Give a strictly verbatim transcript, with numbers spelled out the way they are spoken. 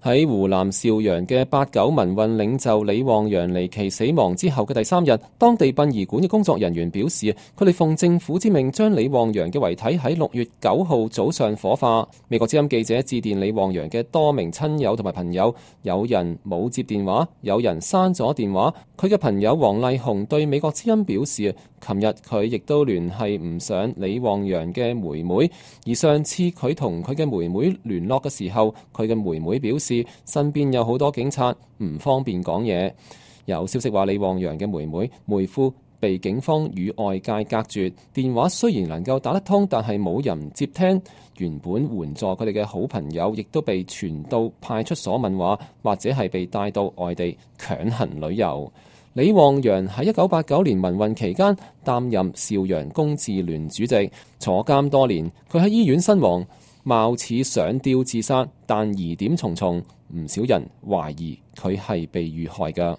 喺湖南邵陽嘅八九民運領袖李旺陽離奇死亡之後嘅第三日，當地殯儀館嘅工作人員表示，佢哋奉政府之命將李旺陽嘅遺體喺六月九號早上火化。美國之音記者致電李旺陽嘅多名親友同埋朋友，有人冇接電話，有人刪咗電話。佢嘅朋友黃麗紅對美國之音表示，琴日佢亦都聯繫唔上李旺陽嘅妹妹，而上次佢同佢嘅妹妹聯絡嘅時候，佢嘅妹妹表示身邊有好多警察，唔方便講嘢。有消息話李旺陽嘅妹妹妹夫被警方與外界隔絕，電話雖然能夠打得通，但係冇人接聽。原本援助佢哋嘅好朋友，亦都被傳到派出所問話，或者係被帶到外地強行旅遊。李旺陽喺一九八九年民運期間擔任邵陽公智聯主席，坐監多年。佢喺醫院身亡，貌似上吊自殺，但疑點重重，唔少人懷疑佢係被遇害㗎。